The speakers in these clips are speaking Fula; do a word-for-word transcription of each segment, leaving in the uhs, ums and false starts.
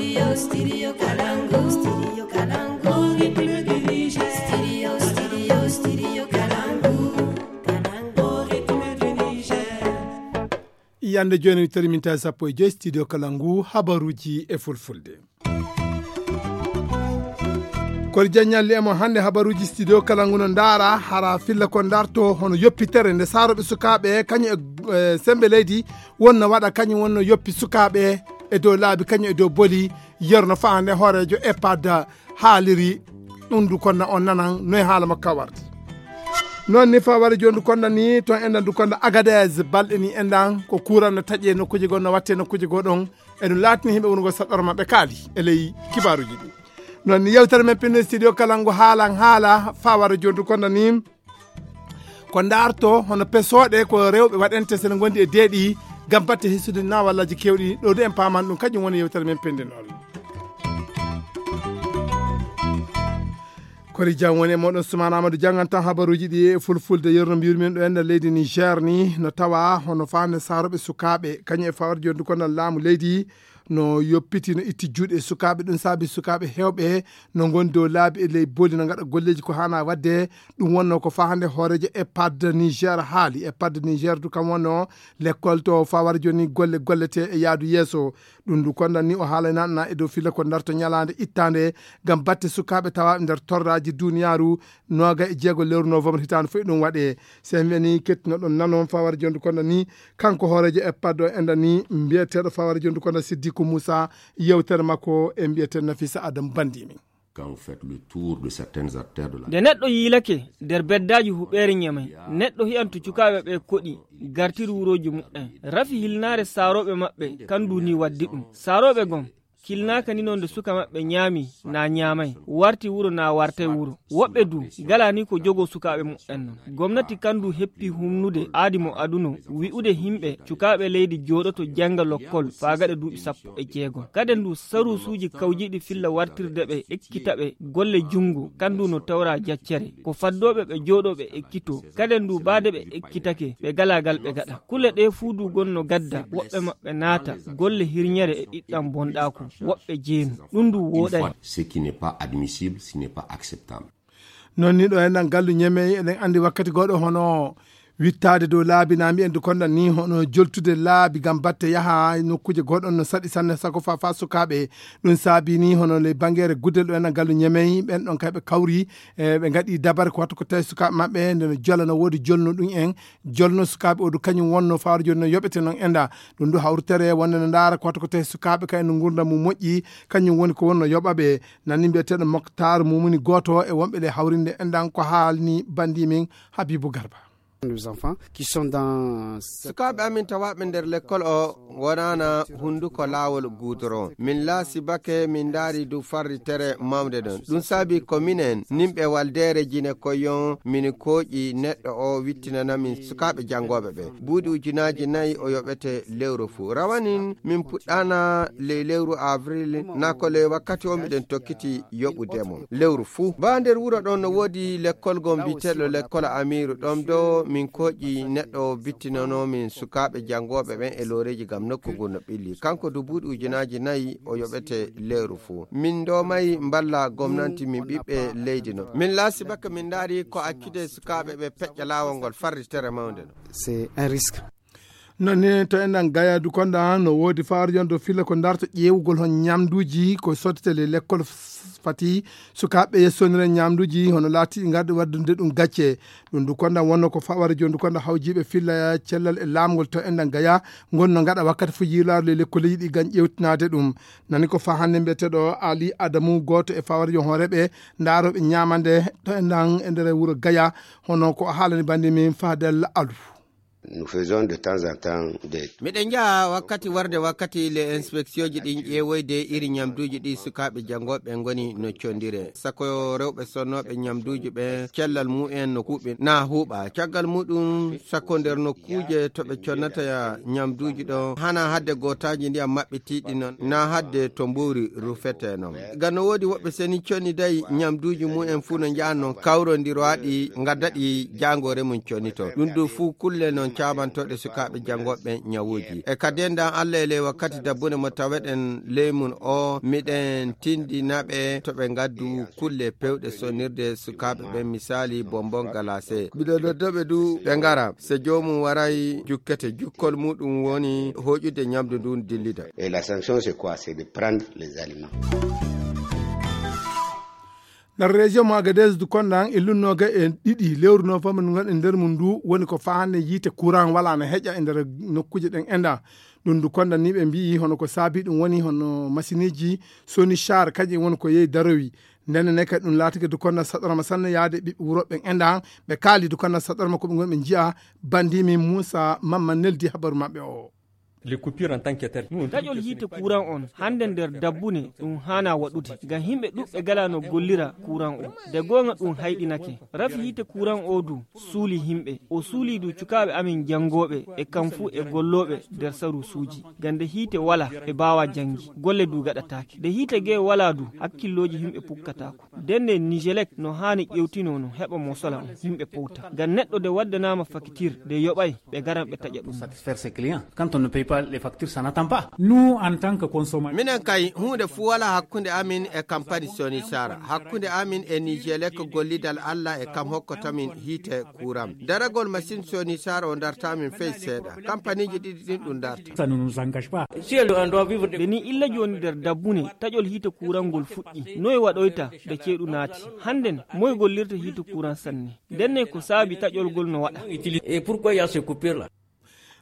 Studio Kalangu, Studio Kalangu, Studio Kalangu, Kalangu, Niger. Yande jooni mi tari minti sappo e joy studio kala ngu habaruuji e fulfulde. Kori jaññalli e mo hannde habaruuji studio kala ngu no ndaara hara filla ko ndarto hono yoppitere nde saroɓe sukaaɓe kañum e e sembe leydi wonno waɗa kañum wonno yoppi sukaaɓe e dow laabi kañum e dow boli yerno fahande hoorejo epad haaliri. Ɗum du konna on nanan noy haala makko ka warti. Noon ni fa wari joni du konna ni ton enɗan du konna agades balɗe ni enɗan ko kuuran no taƴe nokkuji goo no watte nokkuji goo ɗon. E ɗum laatini himɓe wonugol saɗɗoro maɓɓe kaali e ley kibaaruji ɗi. Noon ni yewtere men pinno studio kala ngo haalan haala fa wara joni du konna ni ko ndaarto hono pesooɗe ko rewɓe waɗante sene gondi e deeɗi ngam batte hisude nawallaji kewɗi ɗo du en paman ɗum kañum woni yewtere men pindinol. Kori jam woni e moɗon sumana amadou janngantan habaruuji ɗi e fulfulde yerno mbiyrumin ɗo enda leydi niger ni no tawa hono fande saroɓe sukaaɓe kañum e fawar joni du konnal laamu leydi no yoppiti no itti juuɗe e sukaaɓe ɗum saabi sukaaɓe hewɓe no ngoni dow laabi e ley boli no ngaɗa golleeji ko haana waɗde. Ɗum wonno ko fahande hooreejo e padde niger haali e padde niger du kam wonno lekkol to fawar joni golle gollete e yaadu yeeso. Ɗum du kondan ni o haalaynaɗana e dow filla ko darto ñalaande ittaande ngam batte sukaaɓe tawaaɓe nder torraaji duniyaaru. Nooga e jeego lewru novembre hitaande fof e ɗum waɗe. So en wiyanii kettinoɗon nanon fawar jondu kondan ni kanko hooreejo e paddo enɗan ni mbiyeteeɗo fawar jondu kondan siddiku moussa yewtere makko e mbiyeteeɗo nafisa adam bandimi. Quand vous faites le tour de certaines artères de la nde neɗɗo yiilake nder beddaaji huɓeere ñamay neɗɗo hiyanto cukaaɓe ɓe koɗi gartiri wurooji muɓɓen rafi hilnaare saarooɓe maɓɓe kandu ni waddi ɗum saarooɓe gom kilnaaka ni non nde suka maɓɓe ñaami na ñaamay warti wuro na wartay wuro woɓɓe du gala ni ko jogo sukaaɓe muɓɓen non gomnati kandu heppi humnude aadi mo aduno wi'ude himɓe cukaaɓe leydi jooɗoto jannga lokkol faa gaɗa duuɓi sappo e jeegom kade ndu saruusuuji kawjiiɗi filla wartirde ɓe ekkita ɓe golle junngo kandu no tawra jaccere ko faddooɓe ɓe jooɗooɓe ekkito kade ndu baade ɓe ekkitake ɓe galaa gal ɓe gaɗa kule ɗe fuu du gonno gadda woɓɓe maɓɓe naata golle hirñere e ɗiɗɗam bonɗaaku woɓɓe jeenu ɗum ndu wooɗay. Ce qui n'est pas admissible, ce n'est pas acceptable. Noon ni ɗo enɗan gallu ñemey eɗen anndi wakkati gooɗo hono wittaade dow laabi na mbiyen du kondan ni hono joltude laabi ngam batte yaha nokkuuje gooɗon no saɗi sanne sago fa fa sukaaɓe. Ɗum saabi ni hono ley bangeere guddel ɗo enɗan gallu ñemey ɓen ɗon kay ɓe kawri e ɓe ngaɗi dabare ko wattu ko tawi sukaaɓe maɓɓe nde no jola no woodi jolno ɗum en jolno sukaaɓe o du kañum wonno fawar joni no yoɓete noon enɗa. Ɗum du hawrutere wonde no ndaara ko wattu ko tawi sukaaɓe kay no ngurda mum moƴƴi kañum woni ko wonno yoɓaɓe. Nanni mbiyeteeɗo moktar mumuni gooto e wonɓe ley hawrinde enɗan ko haalni bandi min habibu garba. Nos enfants qui sont dans sukaaɓe amin tawaaɓe nder lekkol o wonaana hunnduko laawol guudoron min laasi bake min ndaari du farritere mawnde ɗon ɗum saabi ko minen nimɓe waldeere jine koyon min kooƴi neɗɗo o wittinana min sukaaɓe janngooɓe ɓe buuɗi ujunaaji nayi o yoɓete lewru fuu rawanin min puɗɗaana ley lewru avril naa ko ley wakkati o miɗen tokkiti yoɓude mo lewru fuu baa nder wuro ɗon no woodi lekkol gom biteɗo lekkol amiiru ɗon do min koƴi neɗɗo bittinanomin sukaaɓe janngooɓe ɓen e looreeji ngam nokku ngun no ɓilli kanko du buuɗi ujunaaji nayi o yoɓete lewru fuu min ndomayi mballa gomnanti min ɓiɓɓe leydi no min laasi bakka min ndaari ko accude sukaaɓe ɓe peƴƴa laawol ngol farritere mawnde no c'est un risque. Nani to enɗan gayadu konɗa no woodi faarjon dow filla ko darto ƴeewugol hon ñamduuji ko sottete le lekkol fati sukaaɓe yessonire ñamduuji hono laatiɗi ngarɗi waddunde ɗum gacce. Ɗum du konɗa wonno ko faware joni du konɗa hawjiiɓe filla cellal e laamgol to enɗan gaya ngonno ngaɗa wakkati fo yiilaaru le lekkoleeji ɗi gañ ƴeewtinaade ɗum. Nani ko fa hannde mbiyeteeɗo ali adamu gooto e faware jon hooreeɓe ndaarooɓe ñaamande to enɗan e nder wuro gaya. Hono ko haalani bandi min fadel alu. Nous faisons de temps en temps des miɗen njaha wakkati warde wakkati le inspectionji ɗin ƴeewoyde iri ñamduuji ɗi sukaaɓe janngooɓe ngoni no condire sako rewɓe sonnooɓe ñamduuji ɓe cellal mumen no huuɓi na huuɓa caggal muɗum sako nder nokkuuje to ɓe connata ñamduuji ɗo hana hadde gootaaji ndiyam maɓɓitiiɗi non na hadde to mbuuri rufete non ngam no woodi woɓɓe seni conniday ñamduuji mumen fuu no njaha non kawrondiraaɗi ngaddaɗi jaangoore mum connito ɗum ɗo fuu kulle non caamantooɗe sukaaɓe janngooɓe ñawuuji. E ka denndan Allah e ley wakkati dabbune mo taweɗen ley mun o, miɗen tindina ɓe to ɓe ngaddu kulle pewɗe sonirde sukaaɓe ɓen, misaali bonbon galase. Miɗen nodda ɓe du ɓe ngara. Se joomum waray, jukkete. Jukkol muɗum woni hooƴude ñamdu ndun dillida. Et la sanction, c'est quoi? C'est de prendre les aliments. Nder région mo Agadez du konɗan e lunnooga e ɗiɗi lewru novembre ndu ngonɗen nder mum ndu woni ko faa hannde yiite courant wala no heƴa e nder nokkuuje ɗen enɗan. Ɗum du konɗan ni ɓe mbi'i hono ko saabi ɗum woni hono masineeji Sony Char kañum woni ko yehi darowi. Ndenne ne kadi ɗum laatike du konɗan saɗorma sanne yaade ɓiɓɓe wuro ɓen enɗan. Ɓe kaali du konɗan saɗorma ko ɓe ngon ɓe nji'a bandimi Moussa Mamma neldi habaru maɓɓe o. Les coupures en tant que telles. Taƴol yiite kuran on hannde nder dabbune ɗum haana waɗude ngam yimɓe ɗuɓɓe gala no gollira kuran o. De goonga ɗum hayɗinake. Rafi yiite kuran o du suuli yimɓe. O suuli du cukaaɓe amin janngooɓe e kam fuu e gollooɓe nder saruusuuji. Ngam nde hiite wala ɓe mbaawa janngi. Golle du gaɗataake. Nde hiite gee wala du hakkillooji yimɓe pukkataako. Ndenne Nigelec no haani ƴewtinoo no heɓa mosola on yimɓe powta. Ngam neɗɗo nde waddanaama fakitir nde yoɓay ɓe ngaran ɓe taƴa ɗum. Satisfaire ses clients. Quand on ne paye pas les factures, ça n'attend pas. Nous, en tant que consommateurs. Minen kay huunde fuu walaa hakkunde amin e kampani Sony Sara. Hakkunde amin e Nigelec gollidal Allah e kam hokkotamin hiite kuuram. Daragol masin Sony Sara o dartaamin fey seeɗa. Kampaniiji ɗiɗi ɗin ɗum darta. Ça ne nous engage pas. Si elle, on doit vivre de Ɓe ni illa jooni nder dabbune taƴol hiite kuuran ngol fuɗɗi. Noy waɗoyta nde ceeɗu naati? Hannden moy gollirta hiite kuuran sanne? Ndenne ko saabi taƴol ngol no waɗa? Et pourquoi il y a ce coupure là?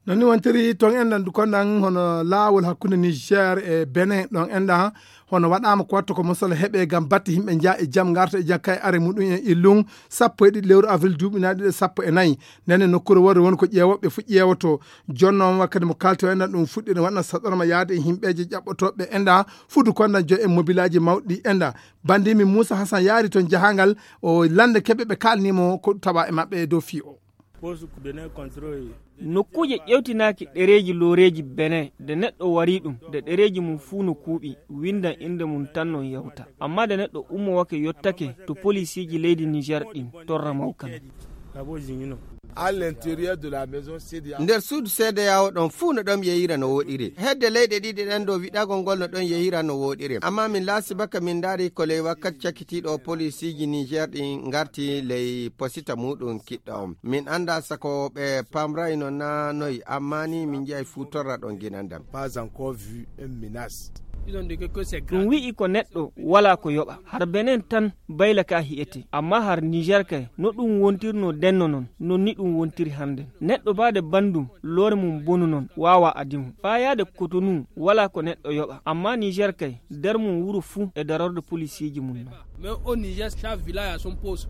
Non ni wontiri ton enɗan du konɗan hono laawol hakkunde Niger e Benin ɗon enɗan hono waɗaama ko watta ko mosol heɓe ngam batte yimɓe nja e jam ngarta e jam kay are muɗum en illum sappo e ɗiɗi lewru avril duuɓi na ɗiɗi e sappo e nayi. Ndenne nokkuure worre woni ko ƴeewooɓe fu ƴeewoto. Jonno on wakkati mo kalti o enɗan ɗum fuɗɗi no waɗna saɗorma yaade e yimɓeeje ƴaɓɓotooɓe enɗan fudu konɗan jo en mobilaaji mawɗi enɗan. Bandimi Moussa Hassan yaari ton jahangal o lande keɓe ɓe kalnimo ko tawa e maɓɓe e dow fii o. Nokkuuje ƴewtinaaki ɗereeji looreeji Benin nde neɗɗo wari ɗum nde ɗereeji mum fuu no kuuɓi, winndan innde mum tan non yawta. Amma nde neɗɗo ummowake yottake to polisiiji leydi Niger ɗin torra mawkan. Nder suudu seedeyawo ɗon fuu no ɗon yeyira no woɗiri. Hedde leyɗe ɗiɗi ɗen ɗo wiɗagol ngol no ɗon yeyira no woɗiri. Amma min laasibaka min ndaari ko ley wakkati cakitiiɗo polisiiji Niger ɗin ngarti ley posita muɗum kiɗɗo on. Min anndaa sako ɓe pamrayno naa noy, ammaa ni min nji'ay fuu torra ɗon ginan ɗam. Pas encore vu une menace. Ɗum wi'i ko neɗɗo walaa ko yoɓa. Har Benin tan bayla ka hi'ete. Ammaa har Niger kay, no ɗum wontirno denno non, non ni ɗum wontiri hannden. Neɗɗo baade banndum, loore mum bonu non, waawaa adi mum. Faa yaade Kotonu walaa ko neɗɗo yoɓa. Ammaa Niger kay, nder mum wuro fuu e darorde polisiiji mum non. Mais au Niger, chaque village a son poste.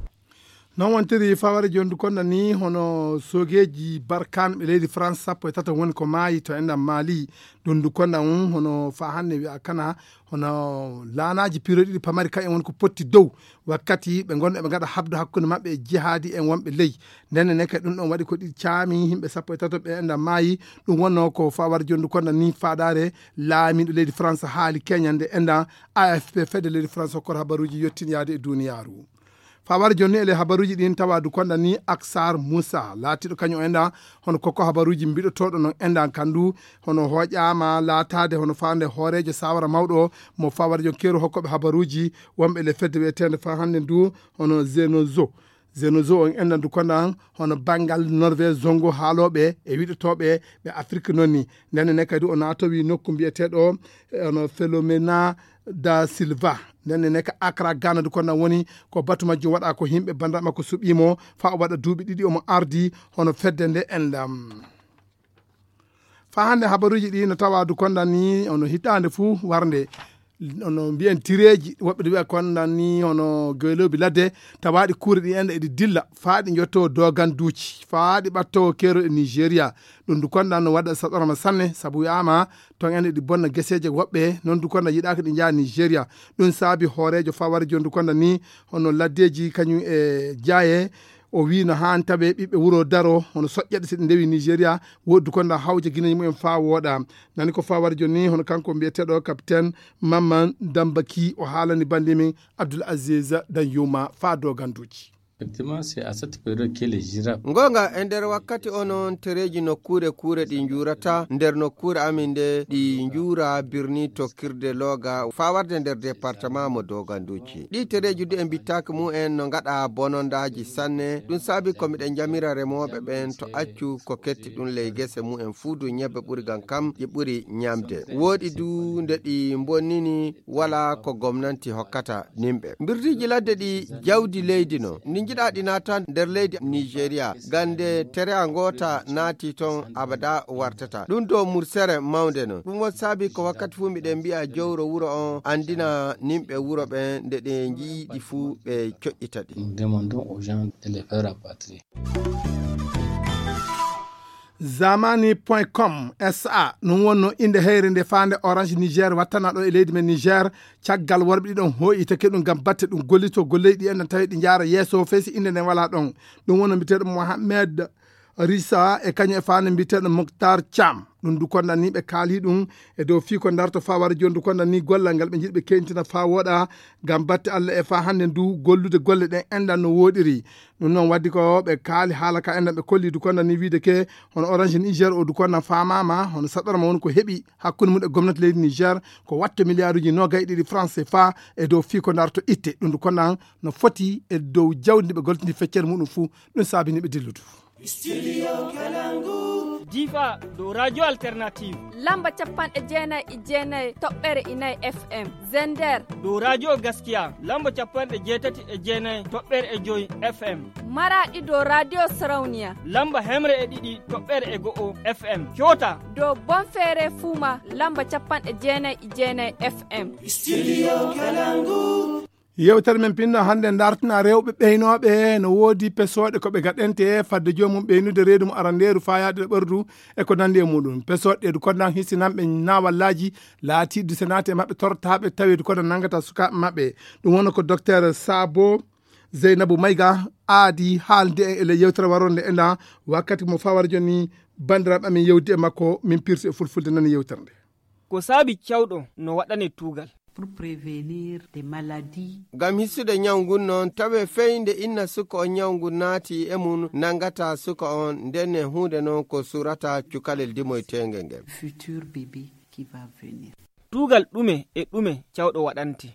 Non wontiri faware jondu konda ni hono sogeji Barkan ɓe leydi France sappo e tato woni ko maayi to enɗam Mali. Dundu konda on hono fa hannde wi'a kana hono laanaji piro ɗiɗi pamari kayen woni ko potti dow wakkati ɓe ngonno ɓe ngaɗa habdu hakkunde maɓɓe e jihaadi en wonɓe ley. Ndenne ne kadi ɗum ɗon waɗi ko ɗi caami yimɓe sappo e tato ɓe enɗam maayi. Ɗum wonno ko faware jondu konda ni faadaare laamiɗo leydi France haali keñande enɗam A F P fedde leydi France hokkor habaruji yottin yaade e duniyaaru. Fawar jonni ele habaruji ɗin tawa du konda ni Aksar Musa laatiɗo kañum enɗan hono koko habaruji mbiɗotoɗo non enɗan kandu hono hoƴama laatade hono fande hoorejo sawara mawɗo mo fawar jon keeru hokkoɓe habaruji wonɓe le fedde wiyetende fa hannde ndu hono Zenozo. Zenozo on enɗan du kondan hono bangal Norvège zongo haaloɓe e wiɗotoɓe ɓe Afrique nonni. Ndenne ne kadi o naatowi nokku mbiyeteɗo hono Philomena da Silva. Ndenne ne ka Accra Ghana du kondan woni ko batu majjum waɗa ko yimɓe banda makko suɓimo fa o waɗa duuɓi ɗiɗi omo ardi hono fedde nde enɗam. Fa hannde habaruji ɗi no tawa du kondan ni ono hitande fuu warnde ono mbiyen tireji woɓɓe ɗi wiya kondan ni hono gelobi ladde tawaɗi kuure ɗi enɗa eɗi dilla faa ɗi jotto doganduuji faa ɗi ɓatto keero e Nigeria. Ɗum du kondan no waɗa saɗorama sanne sabu wiyama ton en eɗi bonna geseeje woɓɓe non du kondan yiɗaka ɗi njaha Nigeria. Ɗum saabi hoorejo faware jondu kondan ni hono laddeji kañum e jaaye o wi no han tawe ɓiɓɓe wuro daro hono soƴƴeɗe si ɗe ndewi Nigeria. Wooddu konda hawja guineji mumen fa wooɗa. Nani ko fawar jonni hono kanko mbiyeteɗo capitaine Mamman Dambaki o haalani bandi min Abdoul Aziz Danyuma fa doganduji. Effectivement, c'est à cette période que les girafes. Ngonga, e nder wakkati o noon, tereeji nokkuure kuure ɗi njuurata nder nokkuure amin nde, ɗi njuura birni tokkirde Looga faa warde nder département mo Dooganduuji. Ɗi tereeji du en mbittaaki mumen no ngaɗa bonondaaji sanne. Ɗum saabi ko miɗen njamira remooɓe ɓen to accu ko ketti ɗum ley gese mumen fuu du ñebbe ɓuri ngam kam ɗi ɓuri ñamde. Wooɗi du nde ɗi mbonnini wala ko gomnanti hokkata nimɓe. Mbirdiiji ladde ɗi jawdi leydi no. Ndi njiɗa ɗi naata nder leydi Nigeria. Gande tereya ngoota naati ton abada wartata. Ɗum do mursere mawnde no. Ɗum won saabi ko wakkati fuu miɗen mbi'a jowro wuro on anndina nimɓe wuro ɓen nde ɗe nji'i ɗi fuu ɓe coƴƴita ɗi. Nous demandons aux gens de les faire rapatrier. Zamani point com S A, ɗum wonno innde heyre nde faande Orange Niger wattana ɗo e leydi men Niger, caggal worɓe ɗiɗon hooyitake ɗum ngam batte ɗum gollito golleeji ɗi enɗan tawi ɗi njaara yeeso fey si innde nden walaa ɗon. Ɗum wonno mbiyeteeɗo Mohamed Risa e kañum e faande mbiyeteeɗo Moktar Thiam. Ɗum du konɗan ni ɓe kaali ɗum e dow fii ko ndarto faa wara jooni du konɗan ni gollal ngal ɓe njiɗi ɓe keyntina faa wooɗa ngam batte Allah e faa hannde du gollude golle ɗen enɗan no wooɗiri. Ɗum noon waddi ko ɓe kaali haala ka enɗan ɓe kolli du konɗan ni wiide ke hono Orange Niger o du konɗan faamaama hono saɗɗorma woni ko heɓi hakkunde mum e gomnati leydi Niger ko watto miliyaaruuji noogay e ɗiɗi francs C F A e dow fii ko ndarto itte. Ɗum du konɗan no foti e dow jawdi ndi ɓe gollitini feccere muɗum fuu. Ɗum saabini ɓe dilludu. Difa dow Radio Alternative. Lamba capanɗe jeenayi e jeenayi toɓɓere e nayi F M. Zender. Dow Radio Gaskiya, lamba capanɗe jeetati e jeenayi toɓɓere e joyi F M. Maraɗi dow Radio Sarauniya. Lamba hemre e ɗiɗi toɓɓere e go'o F M. Coota. Dow Bonfere Fuma, lamba capanɗe jeenayi e jeenayi F M. Yewtere men pinno hannde dartina rewɓe ɓeynooɓe no woodi pesooɗe ko ɓe gaɗante fadde joomum ɓeynude reedu mo arandeeru faayaade e ɓerdu e ko nanndi e muɗum. Pesooɗe ɗe du kondan hisinanɓe naawallaaji laatiiɗi senaate maɓɓe tortaaɓe tawi du kondan nanngata sukaaɓe maɓɓe. Ɗum woni ko Docteur Sabo Zeynabu Mayga aadi haalde en e ley yewtere waronde ena wakkati mo fawara joni banndiraaɓe amin yewdi e makko min pirsi e fulfulde nani yewtere nde. Ko saabi cawɗo no waɗane tuugal. Pour prévenir des maladies. Ngam hisude ñaw ngun noon, tawe fey nde inna suka on ñaw ngun naati e mum, nanngata suka on, ndenne huunde noon ko surata cukalel dimoyteenge ngel. Futur bébé qui va venir. Tuugal ɗume e ɗume cawɗo waɗante?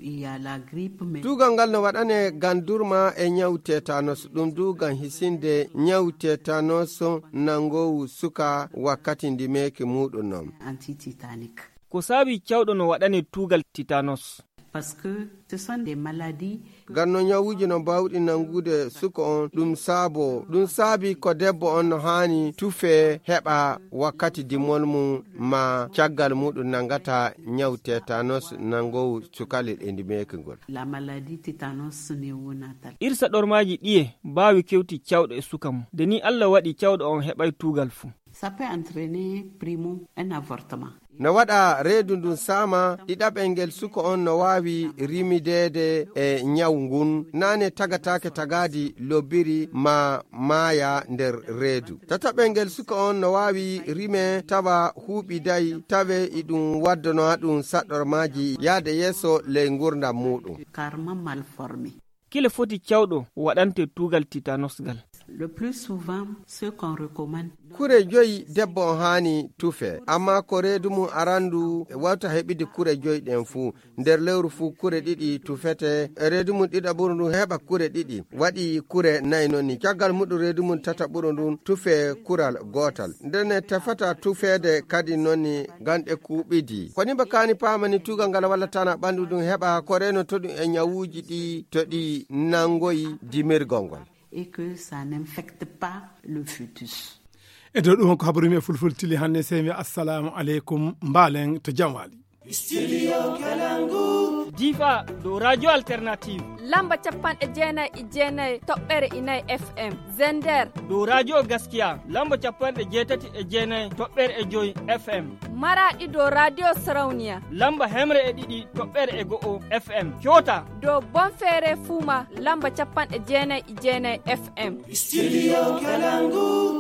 Il y a la grippe, mais. Tuugal ngal no waɗane ngam durma e ñaw tétanos, ɗum du ngam hisinde ñaw tétanos nanngoowu suka wakkati ndimeeki muuɗum noon. Anti-tétanique. Ko saabi cawɗo no waɗane tuugal tétanos? Parce que ce sont des maladies. Ngam no ñawuuji no mbaawɗi nanngude suka on, ɗum saabo, ɗum saabi ko debbo on no haani tufe heɓa wakkati dimol mum ma caggal muɗum nanngata ñaw tétanos nanngoowu cukalel e ndimeeki ngol. La maladie tétanos néonatale. Irsa ɗormaaji ɗiye mbaawi kewti cawɗo e suka mum? Nde ni Allah waɗi cawɗo on heɓay tuugal fuu. Ça peut entraîner, primo, un avortement. No waɗa reedu ndun saama, ɗiɗaɓel ngel suka on no waawi rimideede e ñaw ngun, naane tagataake tagaadi lobbiri ma maaya nder reedu. Tataɓel ngel suka on no waawi rime tawa huuɓiday, tawe iɗum waddano ɗum saɗɗormaaji yaade yeeso ley ngurndan muuɗum. Carrément mal formé. Kile foti cawɗo waɗante tuugal tétanos ngal? Le plus souvent, ce qu'on recommande. Kure joyi debbo on haani tufe, amma ko reedu mum arandu wawta heɓide kure joyi ɗen fuu. Nder lewru fuu kure ɗiɗi tufete, reedu mum ɗiɗaɓuru ndun heɓa kure ɗiɗi. Waɗi kure nayi non ni. Caggal muɗum reedu mum tataɓuru ndun tufe kural gootal. Ndenne tefata tufeede kadi non ni ngam ɗe kuuɓidi. Ko ni mba kaani paamani tuugal ngal walla tana ɓandu ndun heɓa ko reeno to ɗum e ñawuuji ɗi to ɗi nanngoyi dimirgol ngol. Et que ça n'infecte pas le fœtus. E dow ɗum ko habaru mi e fulfulde tili hannde, sey mi assalamu aleykum, mbaalen to jam waali. Studio Kalangu. Difa dow Radio Alternative. Lamba capanɗe jeenayi e jeenayi toɓɓere e nayi F M. Zender. Dow Radio Gaskiya, lamba capanɗe jeetati e jeenayi toɓɓere e joyi F M. Maraɗi dow Radio Sarauniya. Lamba hemre e ɗiɗi toɓɓere e go'o F M. Coota. Dow Bonfere Fuma, lamba capanɗe jeenayi e jeenayi F M. Studio Kalangu.